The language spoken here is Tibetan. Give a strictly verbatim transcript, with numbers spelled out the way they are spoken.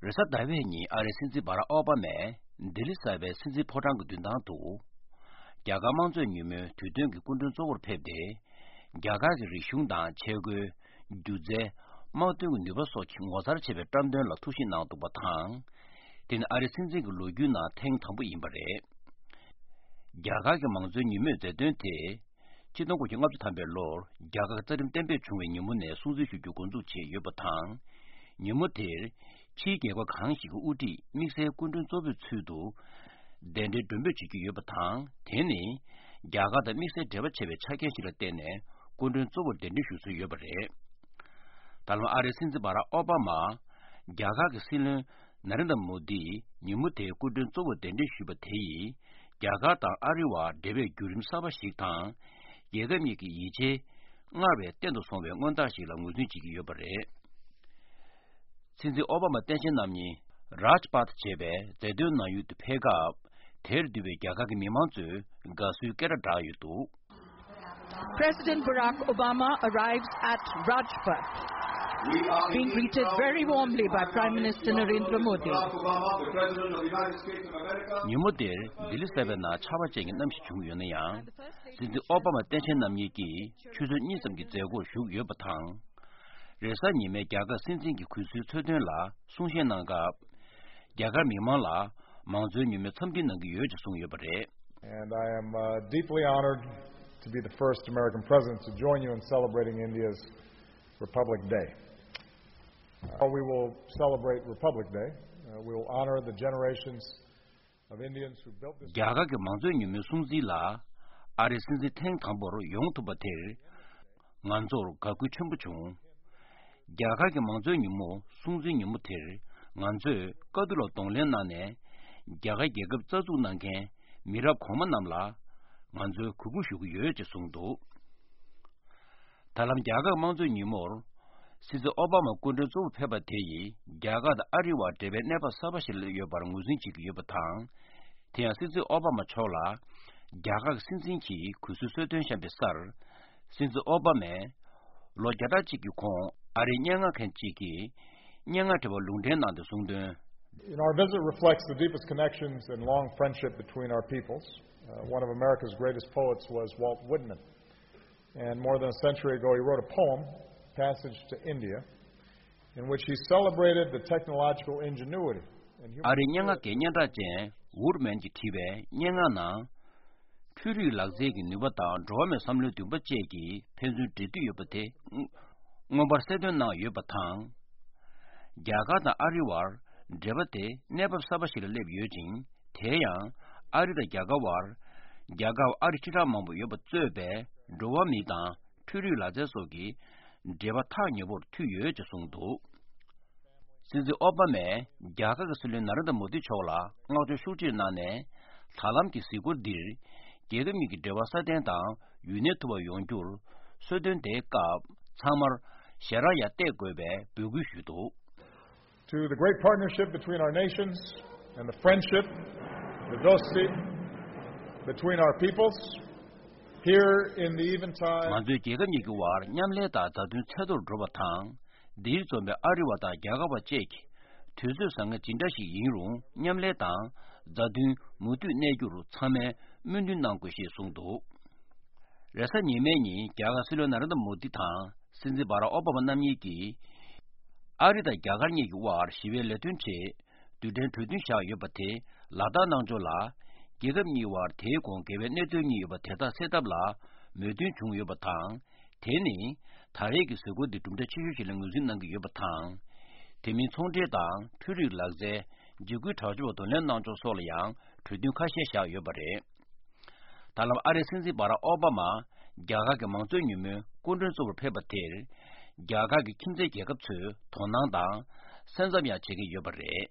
རེས་གཟའ་ཟླ་བའི་ཉིན་ཨ་རིའི་སྲིད་འཛིན་བྷ་རག་ཨོ་བྷ་མས་ལྡི་ལི་གསར་པའི་སྲིད་འཛིན་ཕོ་བྲང་གི་མདུན་ཐང་དུ། རྒྱ་གར་དམངས་གཙོའི་ཉིན་མོའི་དུས་སྟོན་གྱི་སྐུ་མགྲོན་གཙོ་བོར་ཕེབས་ཏེ། རྒྱ་གར་གྱི་རིག་གཞུང་དང་ཆས་གོས། སྒྱུ་རྩལ། དམག་དོན་གྱི་ནུས་པ་སོགས་ཀྱི་ངོ་མཚར་ཆེ་བའི་བཀྲམ་སྟོན་ལ་ཐུགས་ཞིབ་གནང་འདུག་པ་དང་། དེ་ནི་ཨ་རིའི་སྲིད་འཛིན་གྱི་ལོ་རྒྱུས་ནང་ཐེངས་དང་པོ་ཡིན་པ་རེད། རྒྱ་གར་གྱི་མང་གཙོའི་ཉིན་མོའི་མཛད་དོན་དེ། ཆིག་སྟོང་དགུ་བརྒྱ་ལྔ་བཅུ་ཐམ་པའི་ལོར་རྒྱ་གར་རྩ་ཁྲིམས་གཏན་འབེབས་བྱུང་བའི་ཉིན་མོ་ནས་སྲུང་བརྩི་ཞུ་རྒྱུ་འགོ་འཛུགས་བྱས་ཡོད་པ་དང་། ཉིན་མོ་དེར་ཕྱིའི་རྒྱལ་ཁབ་གང་ཞིག་གི་དབུ་ཁྲིད་དམིགས་བསལ་སྐུ་མགྲོན་གཙོ་བོའི་ཚུལ་དུ་གདན་འདྲེན་མགྲོན་འབོད་བྱེད་ཀྱི་ཡོད་པ་དང་། དེ་ནི་རྒྱ་གར་དང་དམིགས་བསལ་འབྲེལ་བ་ཆེ་བའི་ཆ་རྐྱེན་ཞིག་ལ་བརྟེན་ནས་སྐུ་མགྲོན་གཙོ་བོར་གདན་འདྲེན་ཞུ་སྲོལ་ཡོད་པ་རེད། ད་ལམ་ཨ་རིའི་སྲིད་འཛིན་བྷ་རག་ཨོ་བྷ་མ། རྒྱ་གར་གྱི་སྲིད་བློན་ན་རེན་དྲ་མོ་དིས་ཉིན་མོ་དེའི་སྐུ་མགྲོན་གཙོ་བོར་གདན་འདྲེན་ཞུས་པ་དེ་ཡིས། རྒྱ་གར་དང་ཨ་རི་བར་འབྲེལ་བའི་བརྒྱུད་རིམ་གསར་པ་ཞིག་དང་། རྒྱལ་ཁབ་གཉིས་ཀྱི་ཡིད་ཆེས་སྔར་བས་བརྟན་དུ་སོང་བའི་མངོན་རྟགས་ཤིག་ལ་ངོས་འཛིན་བྱེད་ཀྱི་ཡོད་པ་རེད། སྲིད་འཛིན་ཨོ་བྷ་མ་སྟངས་དཔྱལ་རྣམ་གཉིས་རཱཇ་པཱཐ་ཞེས་པའི་མཛེས་སྡོད་ནང་ཡུལ་དུ་ཕེབས་སྐབས། དེར་འདུས་པའི་རྒྱ་གར་གྱི་མི་མང་ཚོས་དགའ་བསུའི་སྐད་སྒྲ་བསྒྲགས་ཡོད་འདུག President Barack Obama arrives at Rajpath, being greeted very warmly by Prime Minister Narendra Modi. ཉིན་མོ་དེར་ལྡི་ལི་གསར་པའི་ནང་ཆར་པ་ཅན་གྱི་གནམ་གཤིས་བྱུང་ཡོད་ན་ཡང་། སྲིད་འཛིན་ཨོ་བྷ་མ་སྟངས་དཔྱལ་རྣམ་གཉིས་ཀྱིས་ཆུ་ཚོད་གཉིས་ཙམ་གྱི་མཛད་སྒོར་ཞུགས་ཡོད་པ་དང་། རེས་གཟའ་ཉི་མའི་རྒྱ་གར་སྲིད་འཛིན་གྱི་གུས་བསུའི་འཚོལ་སྟོན་ལ་གསུང་བཤད་གནང་སྐབས། རྒྱ་གར་མི་མང་ལ་མང་གཙོའི་ཉིན་མོའི་འཚམས་འདྲི་གནང་གི་ཡོད་ཅེས་གསུངས་ཡོད་པ་རེད། And I am uh, deeply honored to be the first American president to join you in celebrating India's Republic Day. Uh, we will celebrate Republic Day. Uh, we will honor the generations of Indians who built this རྒྱ་གར་གྱི་མང་གཙོའི་ཉིན་མོའི་སྲུང་བརྩི་ལ་ཨ་རིའི་སྲིད་འཛིན་ཐེངས་དང་པོར་ཡོང་ཐུབ་པ་དེར། ང་ཚོར་དགའ་སྐུལ་ཆེན་པོ་བྱུང་། རྒྱ་གར་གྱི་མང་གཙོའི་ཉིན་མོ་སྲུང་བརྩིའི་ཉིན་མོ་དེར་ང་ཚོས་དཀའ་སྡུག་ལ་གདོང་ལེན་གནང་ནས། རྒྱ་གར་རྒྱལ་ཁབ་རྩ་འཛུགས་གནང་མཁན་མི་རབས་གོང་མ་རྣམས་ལ་ང་ཚོས་གུས་བཀུར་ཞུ་གི་ཡོད་ཅེས་གསུངས་འདུག་ད་ལམ་རྒྱ་གར་དམངས་གཙོའི་ཉིན་མོར། སྲིད་འཛིན་ཨོ་བྷ་མ་སྐུ་མགྲོན་གཙོ་བོར་ཕེབས་པ་དེ་ཡིས་རྒྱ་གར་དང་ཨ་རི་བར་འབྲེལ་བའི་གནས་བབ་གསར་པ་ཞིག་སླེབས་ཡོད་པར་ངོས་འཛིན་བྱེད་ཀྱི་ཡོད་པ་དང་། དེ་ཡང་སྲིད་འཛིན་ཨོ་བྷ་མ་མཆོག་ལ་རྒྱ་གར་གྱི་སྲིད་འཛིན་གྱིས་གུས་བསུའི་གསོལ་སྟོན་བཤམས་པའི་སར། སྲིད་འཛིན་ཨོ་བྷ་མས་ལོ་བརྒྱ་ཕྲག་གཅིག་གི་གོང་ཨ་རིའི་སྙན་ངག་མཁན་གཅིག་གིས་སྙན་ངག་འབྲི་བར་ལུང་འདྲེན་གནང་སྟེ་གསུངས་དོན། And our visit reflects the deepest connections and long friendship between our peoples. Uh, one of America's greatest poets was Walt Whitman. And more than a century ago, he wrote a poem, Passage to India, in which he celebrated the technological ingenuity and human ཨ་རིའི་སྙན་ངག་གི་སྙན་གྲགས་ཅན་ཝུཌ་མན་གྱིས་བྲིས་པའི་སྙན་ངག་ནང་། འཕྲུལ་རིག་ལག་རྩལ་གྱི་ནུས་པ་དང་འགྲོ་བ་མིའི་བསམ་བློའི་འདུན་པ་བཅས་ཀྱི་ཕན་ཚུན་འབྲེལ་མཐུད་ཡོད་པ་དེ་མངོན་པར་གསལ་སྟོན་གནང་ཡོད་པ་དང་། རྒྱ་གར་དང་ཨ་རི་བར་འབྲེལ་བ་དེ་གནས་བབ་གསར་པ་ཞིག་ལ་སླེབས་ཡོད་ཅིང་། དེ་ཡང་ཨ་རི་དང་རྒྱ་གར་བར། རྒྱ་གར་ཨ་རི་ཁྲི་ཕྲག་མང་པོ་ཡོད་པ་གཙོས་པའི་འགྲོ་བ་མི་དང་འཕྲུལ་རིག་ལག་རྩལ་སོགས་ཀྱི་འབྲེལ་བ་ཐག་ཉེ་པོར་མཐུད་ཡོད་ཅེས་གསུངས་འདུག་སྲིད་འཛིན་ཨོ་བྷ་མས་རྒྱ་གར་གྱི་སྲིད་བློན་ན་རེན་དྲ་མོ་དི་མཆོག་ལ་བསྔགས་བརྗོད་ཤུགས་ཆེར་གནང་ནས། ད་ལམ་གྱི་གཟིགས་སྐོར་འདིར་རྒྱལ་ཁབ་གཉིས་ཀྱི་འབྲེལ་བ་སྲ་བརྟན་དང་ཡུན་གནས་ཐུབ་པ་ཡོང་རྒྱུར་གསོལ་སྟོན་དེའི་སྐབས་ཚང་མར་ཞལ་རག་ཡང་གཏད་དགོས་པའི་འབོད་སྐུལ་ཞུས་འདུག To the great partnership between our nations and the friendship, the dosti, between our peoples, here in the eventide. ང་ཚོའི་རྒྱལ་ཁབ་གཉིས་ཀྱི་དབར་མཉམ་ལས་དང་མཛའ་མཐུན་ཚད་མཐོར་འགྲོ་བ་དང་། འདིར་འཛོམས་པའི་ཨ་རི་བ་དང་རྒྱ་གར་བ་བཅས་ཀྱིས་དུས་ཚོད་བཟང་ངན་ཇི་འདྲ་ཞིག་ཡིན་རུང་མཉམ་ལས་དང་མཛའ་མཐུན་མུ་མཐུད་གནས་རྒྱུར་ཚང་མས་སྨོན་འདུན་གནང་དགོས་ཞེས་གསུངས་འདུག་རེས་གཟའ་ཉི་མའི་ཉིན་རྒྱ་གར་སྲིད་བློན་ན་རེན་དྲ་མོ་དི་དང་སྲིད་འཛིན་བྷ་རག་ཨོ་བྷ་མ་རྣམ་གཉིས་ཀྱིས། ཨ་རི་དང་རྒྱ་གར་གཉིས་ཀྱི་དབར་ཞི་བའི་ལས་དོན་ཆེད་རྡུལ་ཕྲན་གྲོས་མཐུན་བཞག་ཡོད་པ་དེ་ལག་བསྟར་གནང་ཕྱོགས་ལ། རྒྱལ་ཁབ་གཉིས་དབར་དེའི་གོང་འགལ་བའི་གནད་དོན་གཉིས་ཡོད་པ་དེ་དག་སེལ་ཐབས་ལ་མོས་མཐུན་བྱུང་ཡོད་པ་དང་། དེ་ནི་ད་རེས་ཀྱི་གཟིགས་སྐོར་འདི་གྲུབ་འབྲས་ཆེ་ཤོས་ཤིག་ལ་ངོས་འཛིན་གནང་གི་ཡོད་པ་དང་། དེ་མིན་ཚོང་འབྲེལ་དང་འཕྲུལ་རིག་ལག་རྩལ། འཇིགས་སྐུལ་དྲག་སྤྱོད་པ་གདོང་ལེན་གནང་ཕྱོགས་སོགས་ལ་ཡང་གྲོས་མཐུན་ཁ་ཤས་བཞག་ཡོད་པ་རེད། ད་ལམ་ཨ་རིའི་སྲིད་འཛིན་བྷ་རག་ཨོ་བྷ་མ་རྒྱ་གར་གྱི་མང་གཙོའི་ཉིན་མོའི་སྐུ་མགྲོན་གཙོ་བོར་ཕེབས་པ་དེར། རྒྱ་གར་གྱི་ཁྱིམ་མཚེས་རྒྱལ་ཁབ་ཚོས་དོ་སྣང་དང་སེམས་འཚབ་ཡང་བྱེད་ཀྱི་ཡོད་པ་རེད།